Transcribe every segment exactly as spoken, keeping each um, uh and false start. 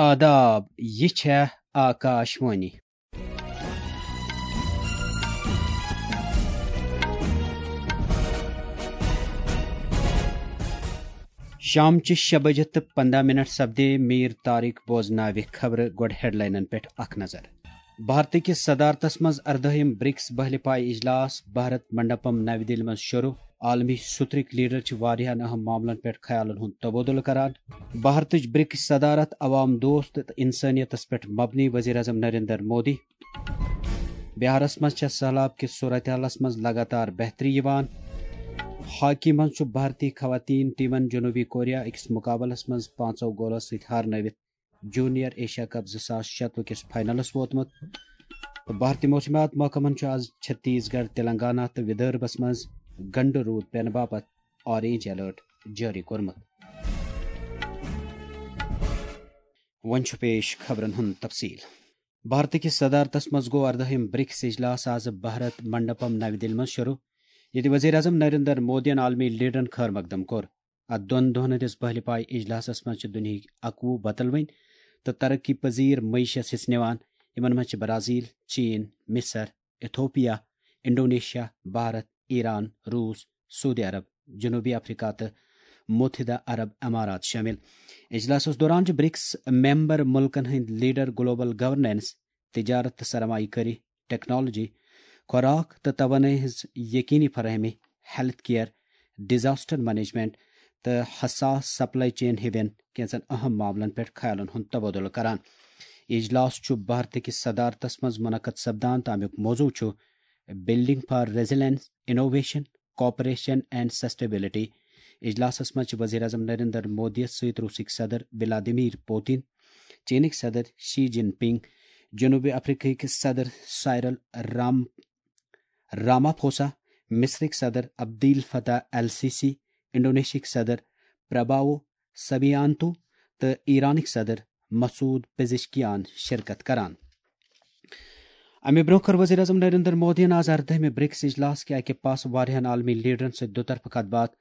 آداب، یہِ چھےٚ آکاش وانی۔ شامچہِ شےٚ بجہِ تہٕ پنٛداہ منٹ سپدے۔ میٖر طارق بوزناوِ خبرٕ۔ گۄڈٕ ہیڈلاینن پٮ۪ٹھ اکھ نظر۔ بھارتہٕ کِس صدارتس منٛز اردٲہِم برکس بہلہِ پایہِ اجلاس، بھارت منڈپم نَوِ دِلہِ منٛز شروع۔ عالمی سترٕکۍ لیڈر چھِ واریاہن اہم معاملن پٮ۪ٹھ خیالن ہُنٛد تبادلہٕ کران۔ بھارتٕچ برکس صدارت عوام دوست تہٕ انسانیتس پٮ۪ٹھ مبنی، وزیر اعظم نریندر مودی۔ بہارس منٛز چھےٚ سہلاب کِس صورتحالس منٛز لگاتار بہتری یِوان۔ ہاکی منٛز چھُ بھارتی خواتین ٹیمن جنوبی کوریا أکِس مقابلس منٛز پانٛژو گولو سۭتۍ ہارنٲوِتھ جونیئر ایشیا کپ زٕ ساس شتوُہ کِس فائنلس ووتمُت۔ تہٕ بھارتی موسمیات محکمن چھُ آز چھتیس گڑھ، تلنگانہ تہٕ ودربھس منٛز گنڈٕ روٗد پینہٕ باپتھ اورینج الرٹ جٲری کوٚرمُت۔ وۄنۍ چھُ پیش خبرن ہُنٛد تفصیل۔ بھارتہٕ کِس صدارتس منٛز گوٚو اردٲہِم برکس اجلاس آز بھارت منڈپم نَوِ دِلہِ منٛز شروع، ییٚتہِ وزیر اعظم نریندر مودیَن عالمی لیڈرن خٲر مقدم کوٚر۔ اتھ دۄن دۄہن ہٕنٛدِس بہلہِ پایہِ اجلاسس منٛز چھِ دُنیہٕکۍ اکوُہ وۄتلوٕنۍ تہٕ ترقی پذیر معیشت حصہٕ نِوان، یِمن منٛز چھِ برازیل، چین، مصر، ایتھوپیا، انڈونیشیا، بھارت، ایران، روس، سعودی عرب، جنوبی افریقہ تہٕ متحدہ عرب امارات شٲمِل۔ اجلاسس دوران چھِ برکس ممبر ملکن ہٕنٛدۍ لیڈر گلوبل گورننس، تجارت تہٕ سرمایہ کٲری، ٹیکنالوجی، خوراک تہٕ توانٲیی ہٕنٛز یقینی فراہمی، ہیلتھ کیئر، ڈیزاسٹر مینجمنٹ تہٕ حساس سپلائی چین ہِوٮ۪ن کینٛژن اہم معاملن پٮ۪ٹھ خیالن ہُنٛد تبادلہٕ کران۔ اجلاس چھُ بھارت کِس صدارتس منٛز منعقد سپدان تہٕ امیُک موضوع چھُ Building for Resilience, Innovation, Cooperation and Sustainability۔ اجلاسس منٛز چھِ وزیر اعظم نریندر مودی یَس سۭتۍ روسٕکۍ صدر ولادیمیر پوتن، چینٕکۍ صدر شی جن پنگ، جنوبی افریقہٕکۍ صدر سائرل رام رامافوسا، مصرٕکۍ صدر عبدیل فتاح السیسی، انڈونیشیاہٕکۍ صدر پرباوو سبیانتو تہٕ ایرانٕکۍ صدر مسعود پزشکیان شرکت کران۔ امہِ برونٛہہ کٔر وزیر اعظم نریندر مودیَن آز اردٲہمہِ برکس اجلاس کہِ اکہِ پاسہٕ واریاہن عالمی لیڈرن سۭتۍ دُطرفہٕ کتھ باتھ۔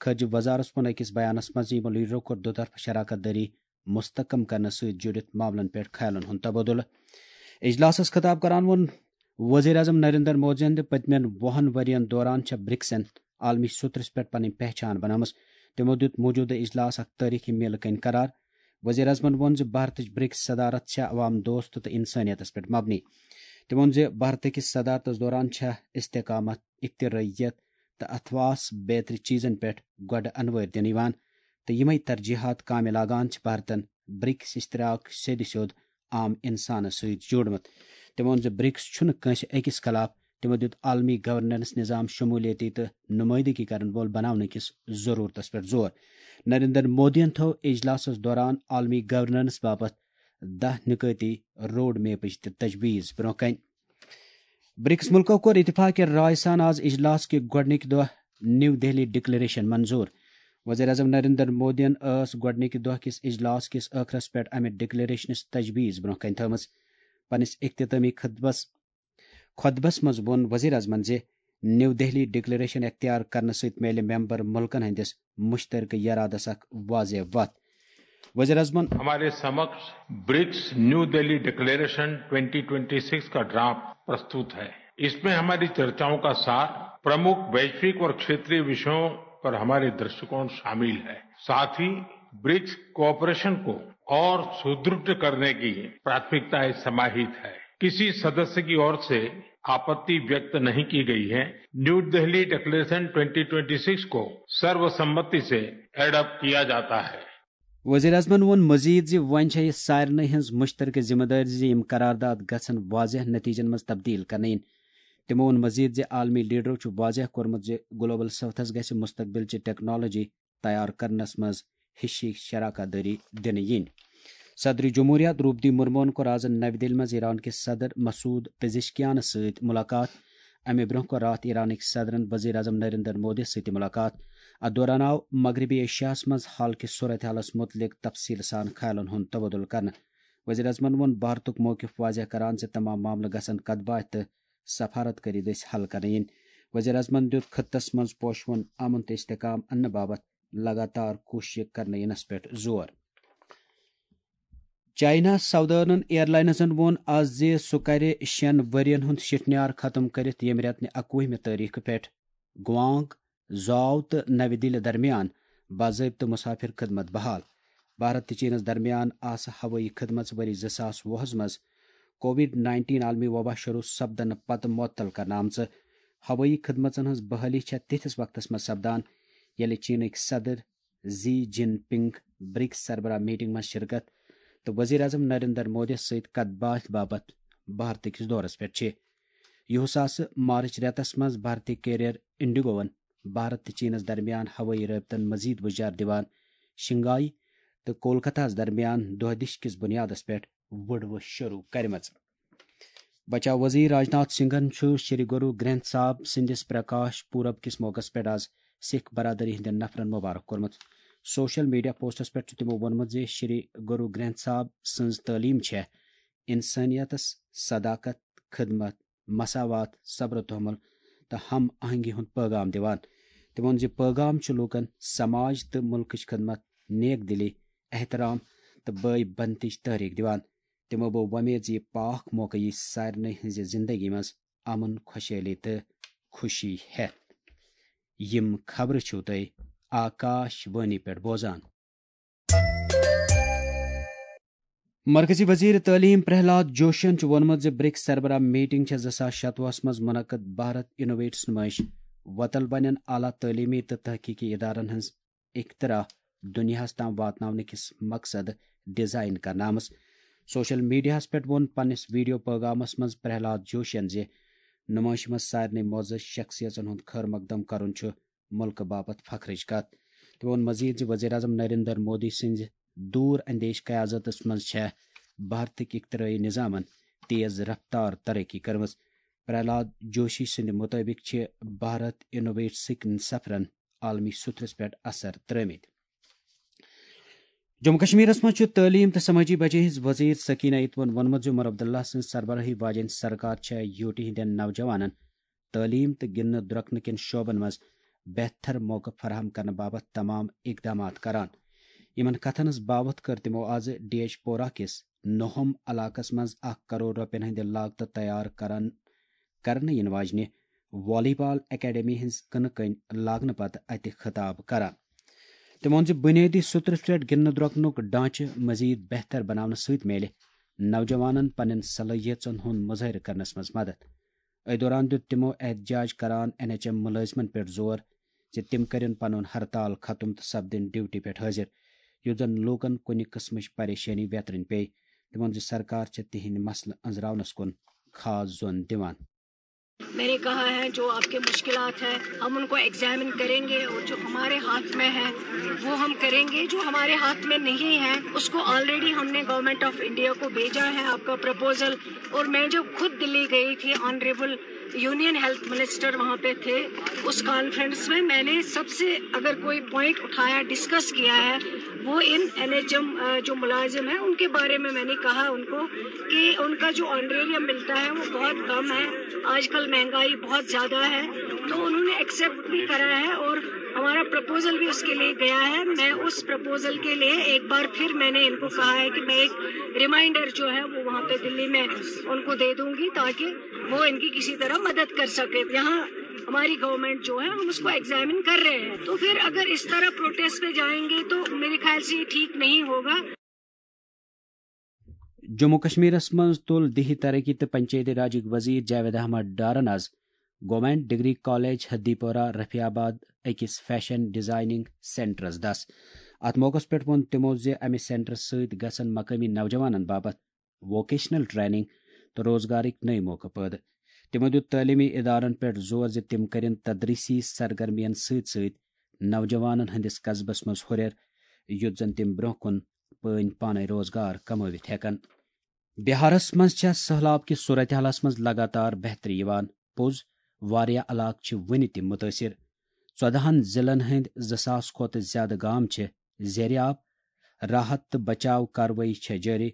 خارجہ وزارت ووٚن أکِس بیانس منٛز زِ یِمو لیڈرو کوٚر دُطرفہٕ شراکت دٲری مستحکم کرنس سۭتۍ جُڑِتھ معاملن پٮ۪ٹھ خیالن ہُنٛد تبادلہٕ۔ اجلاسس خطاب کران ووٚن وزیر اعظم نریندر مودیَن زِ پٔتمٮ۪ن وُہن ؤرین دوران چھےٚ برکسن عالمی سترس پٮ۪ٹھ پنٕنۍ پہچان بنٲومٕژ۔ تِمو دیُت موجودٕ اجلاس اکھ تٲریخی میلہٕ کٔنۍ قرار۔ وزیر اعظمن ووٚن زِ بھارتٕچ برکس صدارت چھےٚ عوام دوست تہٕ انسانیتس پٮ۪ٹھ مبنی۔ تٔمۍ ووٚن زِ بھارت کِس صدارتس دوران چھےٚ استحکامت، اکترٲییت تہٕ اتھواس بیترِ چیزن پٮ۪ٹھ گۄڈٕ انوٲرۍ دِنہٕ یِوان تہٕ یِمے ترجیحات کامہِ لاگان چھِ بھارتن برکس اشتراک سیٚدِ سیوٚد عام انسانس سۭتۍ جوڑمُت۔ تٔمۍ ووٚن زِ برکس چھُنہٕ کٲنٛسہِ أکِس خلاف، تِمو دیُت عالمی گورننس نظام شمولیتی تہٕ نمٲیندگی کرن وول بناونہٕ کِس ضرورتس پٮ۪ٹھ زور۔ نریندر مودیَن تھٲو اجلاسس دوران عالمی گورننس باپتھ دَہ نکٲتی روڈ میپٕچ تہِ تجویز برونٛہہ کنہِ۔ برکس ملکو کوٚر اتفاق رائے سان آز اجلاس کہِ گۄڈٕنِکۍ دۄہ نیو دہلی ڈکلیریشن منظور۔ وزیر اعظم نریندر مودیَن ٲس گۄڈٕنِکۍ دۄہ کِس اجلاس کِس ٲخرس پٮ۪ٹھ امہِ ڈکلیریشنٕچ تجویز برونٛہہ کنہِ تھٲومٕژ۔ پننِس اختتامی خطبس خطبس منٛز ووٚن وزیر اعظمن زِ نیو دہلی ڈکلیریشن اختیار کرنہٕ سۭتۍ میلہِ ممبر ملکن ہٕنٛدِس مشترکہ یرادس اکھ واضح وتھ۔ وزیر اعظمن ہمارے سمکش BRICS new Delhi declaration twenty twenty six کا ڈرافٹ پرستوت ہے۔ اس میں ہماری چرچاؤں کا سار پرمکھ ویشوک اور کھیتریہ وشیوں پر ہمارے درشکون شامل ہے۔ ساتھ ہی برکس کوآپریشن کو اور سدھڑ کرنے کی پراتھمکتائیں سماہیت ہے۔ کسی سدسیہ کی اور سے آپتی ویکت نہیں کی گئی ہے۔ New Delhi declaration twenty twenty six کو سروسمتی سے ایڈاپٹ کیا جاتا ہے۔ وزیر اعظمن ووٚن مزید زِ وۄنۍ چھےٚ یہِ سارنٕے ہٕنٛز مشترکہ ذمہ دٲری زِ یِم قرارداد گژھن واضح نتیجن منٛز تبدیل کرنہٕ یِنۍ۔ تِمو ووٚن مزید زِ عالمی لیڈرو چھُ واضح کوٚرمُت زِ گلوبل ساؤتھس گژھِ مستقبل چہِ ٹیکنالوجی تیار کرنس منٛز ہشی شراکت دٲری دِنہٕ یِنۍ۔ صدر جمہوریہ دروپدی مرموہن کوٚر آز نَوِ دِلہِ منٛز ایران کِس صدر مسعود پزشکیانس سۭتۍ ملاقات۔ امہِ برونٛہہ کوٚر راتھ ایرانٕکۍ صدرن وزیر اعظم نریندر مودی سۭتۍ تہِ ملاقات۔ اتھ دوران آو مغربی ایشیاہس منٛز حال کِس صورتحالس متعلق تفصیل سان خیالن ہُنٛد تبادلہٕ کرنہٕ۔ وزیر اعظمن ووٚن بھارتُک موقف واضح کران زِ تمام معاملہٕ گژھن کتھ باتھ تہٕ سفارت کٲری دٔسۍ حل کرنہٕ یِنۍ۔ وزیر اعظمن دیُت خطس منٛز پوشہٕ وُن امن تہٕ استحکام اننہٕ باپتھ لگاتار کوٗششہٕ کرنہٕ یِنس پٮ۪ٹھ زور۔ چائنا سودٲرنن ایئرلاینزن ووٚن آز زِ سُہ کرِ شیٚن ؤرین ہُنٛد شِٹھنیار ختم کٔرِتھ ییٚمہِ رٮ۪تہٕ نہِ اکوُہمہِ تٲریخہٕ پٮ۪ٹھ گوانگ، زاو تہٕ نَوِ دِلہِ درمیان باضٲبطہٕ مسافر خدمت بحال۔ بھارت تہٕ چینس درمیان آسہٕ ہوٲیی خدمژ ؤری زٕ ساس وُہس منٛز کووڈ نائنٹین عالمی وبا شروع سپدنہٕ پتہٕ معطل کرنہٕ آمژٕ۔ ہوٲیی خدمژن ہٕنٛز بحالی چھےٚ تِتھِس وقتس منٛز سپدان، ییٚلہِ چینٕکۍ صدر زی جن پنگ برکس سربراہ میٹنگ منٛز شرکت تہٕ وزیر اعظم نریندر مودی سۭتۍ کتھ باتھ باپتھ بھارتٕکِس دورس پٮ۪ٹھ چھِ۔ یِہُس آسہٕ مارچ رٮ۪تس منٛز بھارتی کیریئر انڈیگوون بھارت تہٕ چینس درمیان ہوٲیی رٲبطن مزید وُجار دِوان۔ شنگھائی تہٕ کولکتہس درمیان دۄہ دِش کِس بُنیادس پٮ۪ٹھ وُڈوٕ شروع کرِمژٕ۔ بچاو وزیر راجناتھ سنگھن چھُ شری گرو گرنتھ صاحب سٕنٛدِس پرکاش پورب کِس موقعس پٮ۪ٹھ آز سکھ برادری ہٕنٛدٮ۪ن نفرن مبارک کوٚرمُت۔ سوشل میڈیا پوسٹس پٮ۪ٹھ چھُ تِمو ووٚنمُت زِ شری گرو گرنتھ صاحب سٕنٛز تعلیٖم چھےٚ انسٲنیتس صداقت، خدمت، مساوات، صبر و تحمل تہٕ ہم آہنگی ہُنٛد پٲغام دِوان۔ تِمو ووٚن زِ پٲغام چھُ لوٗکن سماج تہٕ مُلکٕچ خدمت، نیک دلی، احترام تہٕ بٲے بنتٕچ تحریک دِوان۔ تِمو بوو وۄمید زِ یہِ پاک موقعہٕ یی سارنٕے ہٕنٛزِ زندگی منٛز امن، خۄشحٲلی تہٕ خوشی ہٮ۪تھ۔ یِم خبرٕ چھِو تُہۍ آکاش وانی پٮ۪ٹھ بوزان۔ مرکزی وزیر تعلیم پرہلاد جوشین چھُ ووٚنمُت زِ برکس سربراہ میٹنگ چھےٚ زٕ ساس شتوُہس منٛز منعقد بھارت انوویٹس نمائش وۄتل بنن اعلیٰ تعلیمی تہٕ تحقیقی ادارن ہٕنٛز اختراع دُنیاہس تام واتناونہٕ کِس مقصد ڈیزائن کرنہٕ آمٕژ۔ سوشل میڈیاہس پٮ۪ٹھ ووٚن پننِس ویڈیو پیغامس منٛز پرہلاد جوشین زِ نمائشہِ منٛز سارنٕے معزز شخصیژن ہُنٛد خٲر مقدم کرُن چھُ مُلکہٕ باپتھ فخرٕچ کتھ۔ تٔمۍ ووٚن مزید زِ وزیر اعظم نریندر مودی سٕنٛزِ دوٗر اندیش قیادتس منٛز چھےٚ بھارتٕکۍ اختراعی نظامن تیز رفتار ترقی کٔرمٕژ۔ پرہلاد جوشی سٕنٛدِ مُطٲبِق چھِ بھارت انوویٹسٕکۍ سفرن عالمی سطحس پٮ۪ٹھ اثر ترٲومٕتۍ۔ جموں کشمیرس منٛز چھُ تعلیٖم تہٕ سمٲجی بجے ہٕنٛز وزیر سکینہ اتوَن ووٚنمُت زِ عمر عبداللہ سٕنٛز سربراہی واجیٚنۍ سرکار چھےٚ یوٗٹی ہٕنٛدٮ۪ن نوجوانن تعلیٖم تہٕ گِنٛدنہٕ درۄکنہٕ کٮ۪ن شعبن منٛز بہتر موقعہٕ فراہم کرنہٕ باپتھ تمام اقدامات کران۔ یِمن کتھن ہٕنٛز باوتھ کٔر تِمو آز ڈی ایچ پورہ کِس نوہم علاقس منٛز اکھ کرور رۄپین ہٕنٛدِ لاگتہٕ تیار کرن، کرنہٕ یِنہٕ واجنہِ والی بال اکیڈمی ہٕنٛز کٕنہٕ کٔنۍ لاگنہٕ پتہٕ اتہِ خطاب کران۔ تٔمۍ ووٚن زِ بنیٲدی سطرس پٮ۪ٹھ گِنٛدنہٕ درۄکنُک ڈھانچہٕ مزید بہتر بناونہٕ سۭتۍ میلہِ نوجوانن پننٮ۪ن صلٲحیژن ہُنٛد مظٲہرٕ کرنس منٛز مدد۔ أتھۍ دوران دیُت تِمو احتجاج کران این ایچ ایم مُلٲزمن پٮ۪ٹھ زور زِ تِم کٔرِن پنُن ہرتال ختم تہٕ سپدٕنۍ ڈیوٹی پٮ۪ٹھ حٲضِر، یُتھ زن لوٗکن کُنہِ قٕسمٕچ پریشٲنی ویترٕنۍ پیٚیہِ۔ تِمن زِ سرکار چھےٚ تِہنٛدۍ مسلہٕ أنٛزراونس کُن خاص زون دِوان۔ मैंने कहा है, जो आपके मुश्किलात हैं, हम उनको एग्जामिन करेंगे और जो हमारे हाथ में है, वो हम करेंगे। जो हमारे हाथ में नहीं है, उसको ऑलरेडी हमने गवर्नमेंट ऑफ इंडिया को भेजा है आपका प्रपोजल। और मैं जब खुद दिल्ली गई थी, ऑनरेबल यूनियन हेल्थ मिनिस्टर वहाँ पे थे, उस कॉन्फ्रेंस में मैंने सबसे, अगर कोई पॉइंट उठाया, डिस्कस किया है, वो इन एनएचएम जो मुलाजिम हैं, उनके बारे में मैंने कहा उनको कि उनका जो ऑनरेरियम मिलता है, वो बहुत कम है। आजकल महंगाई बहुत ज़्यादा है, तो उन्होंने एक्सेप्ट भी करा है और हमारा प्रपोजल भी उसके लिए गया है। मैं उस प्रपोजल के लिए एक बार फिर मैंने इनको कहा है कि मैं एक रिमाइंडर जो है, वो वहाँ पे दिल्ली में उनको दे दूंगी, ताकि वो इनकी किसी तरह मदद कर सके। यहाँ हमारी गवर्नमेंट जो है, हम उसको एग्जामिन कर रहे हैं। तो फिर अगर इस तरह प्रोटेस्ट पे जाएंगे, तो मेरे ख्याल से ये ठीक नहीं होगा। جموں کشمیرس منٛز تُل دیہی ترقی تہٕ پنچایتی راجٕکۍ وزیر جاوید احمد ڈارن آز گورنمنٹ ڈگری کالج ہدی پورہ رفیع آباد أکِس فیشن ڈیزائننگ سینٹرس دس۔ اتھ موقعس پٮ۪ٹھ ووٚن تِمو زِ امہِ سینٹر سۭتۍ گژھن مقٲمی نوجوانن باپتھ ووکیشنل ٹریننگ تہٕ روزگارٕکۍ نٔوۍ موقعہٕ پٲدٕ۔ تِمو دیُت تعلیمی ادارن پٮ۪ٹھ زور زِ تِم کٔرِن تدریسی سرگرمین سۭتۍ سۭتۍ نوجوانن ہٕنٛدِس قصبس منٛز ہُرٮ۪ر، یُتھ زن تِم برونٛہہ کُن پٲنۍ پانے روزگار کمٲوِتھ ہٮ۪کن۔ بہارس منٛز چھےٚ سٔہلاب کِس صورتحالس منٛز لگاتار بہتری یِوان۔ پوٚز، واریاہ علاقہٕ چھِ وُنہِ تہِ مُتٲثِر۔ ژۄدہن ضلعن ہٕنٛدۍ زٕ ساس کھۄتہٕ زیادٕ گام چھِ زیرِ آب۔ راحت تہٕ بچاو کاروٲیی چھےٚ جٲری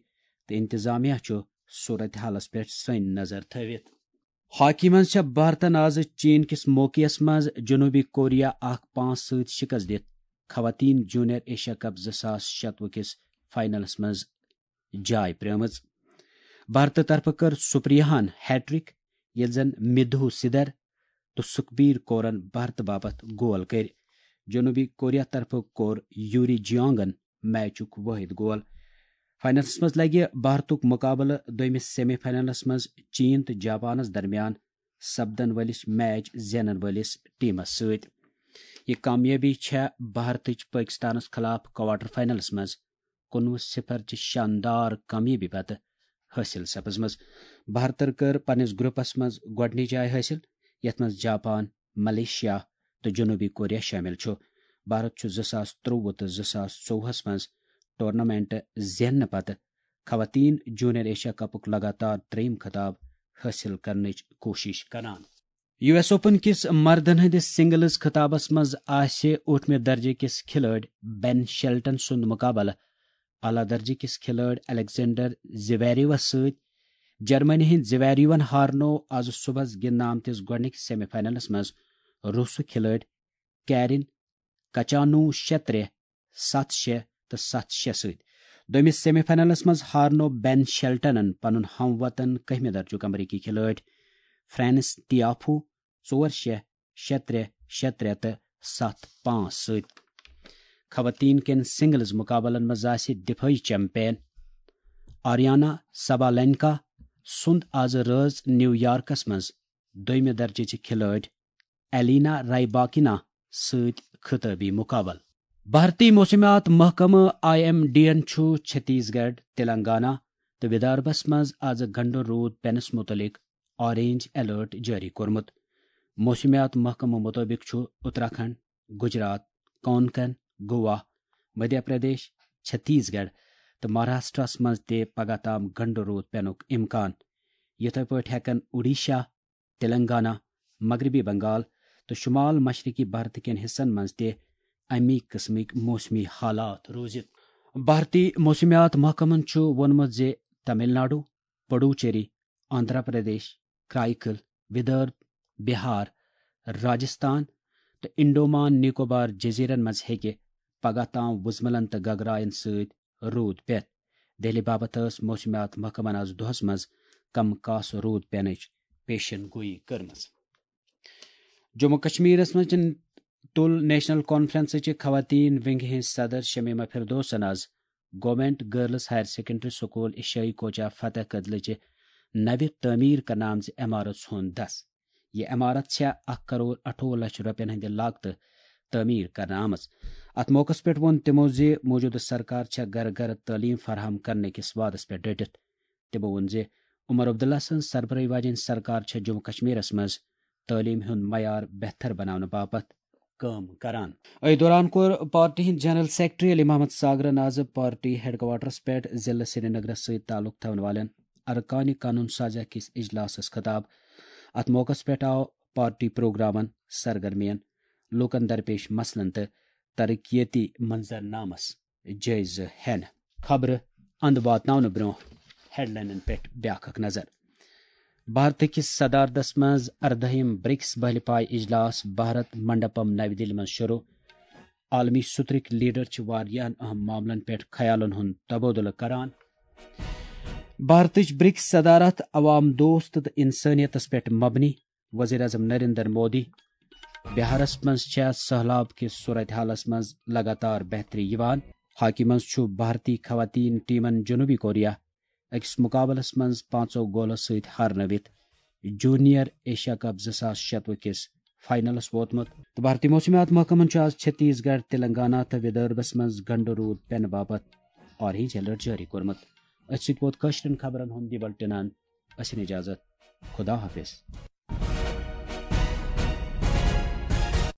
تہٕ انتظامیہ چھُ صورتحالس پٮ۪ٹھ سٔنۍ نظر تھٲوِتھ۔ ہاکی منٛز چھےٚ بھارتن آز چین کِس موقعس منٛز جنوبی کوریا اکھ پانٛژھ سۭتۍ شکست دِتھ خواتین جونیئر ایشیا کپ زٕ ساس شتوُہ کِس فائنلس منٛز جاے پرٛٲمٕژ۔ بھارتہٕ طرفہٕ کٔر سپریاہن ہیٹرک، ییٚلہِ زن مدھو سدھر تہٕ سکھبیر کورن بھارتہٕ باپتھ گول کٔرۍ۔ جنوبی کوریا طرفہٕ کوٚر یوری جیونگن میچُک وٲحد گول۔ فاینلس منٛز لگہِ بھارتُک مقابلہٕ دوٚیمِس سیمی فاینلس منٛز چین تہٕ جاپانس درمیان سپدن وٲلِس میچ زینن وٲلِس ٹیمس سۭتۍ۔ یہِ کامیٲبی چھےٚ بھارتٕچ پٲکستانس خلاف کوارٹر فاینلس منٛز کُنوُہ صفر چہِ شاندار کامیٲبی پتہٕ حٲصِل سپٕزمٕژ۔ بھارتن کٔر پننِس گروپس منٛز گۄڈٕنِچ جاے حٲصِل، یتھ منٛز جاپان، ملیشیا تہٕ جنوبی کوریا شٲمِل چھُ۔ بھارت چھُ زٕ ساس ترٛۆوُہ تہٕ زٕ ساس ژوٚوُہس منٛز ٹورنامنٹ زیننہٕ پتہٕ خواتین جونیئر ایشیا کپُک لگاتار ترٛیٚیِم خطاب حٲصِل کرنٕچ کوٗشش کران۔ یو ایس اوپن کِس مردن ہٕنٛدِس سنگلز خطابس منٛز آسہِ ٲٹھمہِ درجہٕ کِس کھلٲڑۍ بین شیلٹن سُنٛد مقابلہٕ اعلیٰ درجہٕ کِس کھلٲڑۍ الیگزینڈر زیویریوس سۭتۍ۔ جرمنی ہٕنٛدۍ زیویریوَن ہارنوو آز صُبحس گِنٛدنہٕ آمتِس گۄڈٕنِکِس سیمی فاینلس منٛز روسُک کھلٲڑۍ کیرین کچانو شےٚ ترٛےٚ، ستھ شےٚ تہٕ ستھ شےٚ سۭتۍ۔ دوٚیمِس سیمی فاینلس منٛز ہارنوو بین شیلٹنن پنُن ہم وطن کٔہمہِ درجُک امریکی کھلٲڑۍ فرانس ٹیافو ژور شےٚ، شےٚ ترٛےٚ، شےٚ ترٛےٚ تہٕ ستھ پانٛژھ سۭتۍ۔ خواتین کٮ۪ن سنگلز مقابلن منٛز آسہِ دفٲعی چیمپین آریانا سبالینکا سُنٛد آز رٲژ نیو یارکس منٛز دوٚیمہِ درجٕچہِ کھلٲڑۍ ایلینا رایباکینا سۭتۍ خطٲبی مقابلہٕ۔ بھارتی موسمیات محکمہٕ آئی ایم ڈی ین چھُ چھتیس گڑھ، تلنگانہ تہٕ ودربھس منٛز آز گنڈٕ روٗد پینس مُتعلق آرینج الرٹ جٲری کوٚرمُت۔ موسمیات محکمہٕ مُطٲبِق چھُ اتراکھنڈ، گجرات، کونکن، گوا، مدھیہ پردیش، چھتیس گڑھ تہٕ مہاراشٹرس منٛز تہِ پگہہ تام گنڈٕ روٗد پینُک امکان۔ یِتھے پٲٹھۍ ہٮ۪کن اوڈیشہ، تلنگانہ، مغربی بنگال تہٕ شمال مشرقی بھارت کٮ۪ن حصن منٛز تہِ امی قٕسمٕکۍ موسمی حالات روٗزِتھ۔ بھارتی موسمیات محکمن چھُ ووٚنمُت زِ تمل ناڈو، پڈوچیری، آندھرا پردیش، کرائیکل، ودربھ، بہار، راجستھان تہٕ انڈومان نکوبار جزیرن منٛز ہیٚکہِ پگہہ تام وُزملن تہٕ گگراین سۭتۍ روٗد پٮ۪تھ۔ دہلی باپتھ ٲس موسمیات محکمن آز دۄہس منٛز کم کاس روٗد پینٕچ پیشن گویی کٔرمٕژ۔ جموں کشمیرس منٛز تُل نیشنل کانفرنسٕچہِ خواتین ونگہِ ہٕنٛز صدر شمیمہ فردوسن آز government girls higher secondary school عشائی کوچہ فتح کدلٕچہِ نوِ تعمیٖر کرنہٕ آمژِ عمارژ ہُنٛد دس۔ یہِ عمارت چھےٚ اکھ کرور اَٹھووُہ لچھ رۄپین ہٕنٛدِ لاگتہٕ تعمیٖر کرنہٕ آمٕژ۔ اتھ موقعس پٮ۪ٹھ ووٚن تِمو زِ موٗجوٗدٕ سرکار چھےٚ گرٕ گرٕ تعلیٖم فراہم کرنہٕ کِس وعدس پٮ۪ٹھ ڈٔٹِتھ۔ تِمو ووٚن زِ عمر عبداللہ سٕنٛز سربرٲہی واجیٚنۍ سرکار چھےٚ جموں کشمیرس منٛز تعلیٖم ہُنٛد معیار بہتر بناونہٕ باپتھ کٲم کران۔ أتھۍ دوران کوٚر پارٹی ہٕنٛدۍ جنرل سیکرٹری علی محمد ساگرن آز پارٹی ہیڈ کوارٹرس پٮ۪ٹھ ضلع سرینگرس سۭتۍ تعلق تھاون والٮ۪ن ارکانِ قانون سازیہ کِس اجلاسس خطاب۔ اتھ موقعس پٮ۪ٹھ آو پارٹی پروگرامن، سرگرمین، لوٗکن درپیش مسلن تہٕ ترقیتی منظرنامس جٲیزٕ ہٮ۪نہٕ۔ خبرٕ اند واتناونہٕ برونٛہہ ہیڈلاینن پٮ۪ٹھ بیاکھ اکھ نظر۔ بھارت کِس صدارتس منٛز اردٲہِم برکس بحلہِ پایہِ اجلاس بھارت منڈپم نَوِ دِلہِ منٛز شروع۔ عالمی سترٕکۍ لیڈر چھِ واریاہن اہم معاملن پٮ۪ٹھ خیالن ہُنٛد تبادلہٕ کران۔ بھارتٕچ برکس صدارت عوام دوست تہٕ انسٲنیتس پٮ۪ٹھ مبنی، وزیر اعظم نریندر مودی۔ بہارس منٛز چھےٚ سہلاب کِس صورتحالس منٛز لگاتار بہتری یِوان۔ ہاکی منٛز چھُ بھارتی خواتین ٹیمن جنوبی کوریا أکِس مقابلس منٛز پانٛژو گولو سۭتۍ ہارنٲوِتھ جونیئر ایشیا کپ زٕ ساس شتوُہ کِس فاینلس ووتمُت۔ تہٕ بھارتی موسمیات محکمن چھُ آز چھتیس گڑھ، تلنگانہ تہٕ ودربھس منٛز گنڈٕ روٗد پینہٕ باپتھ آرینج الرٹ جٲری کوٚرمُت۔ أتھۍ سۭتۍ ووت کٲشرٮ۪ن خبرن ہُنٛد یہِ بلٹن۔ ٲسِن اجازت۔ خدا حافظ۔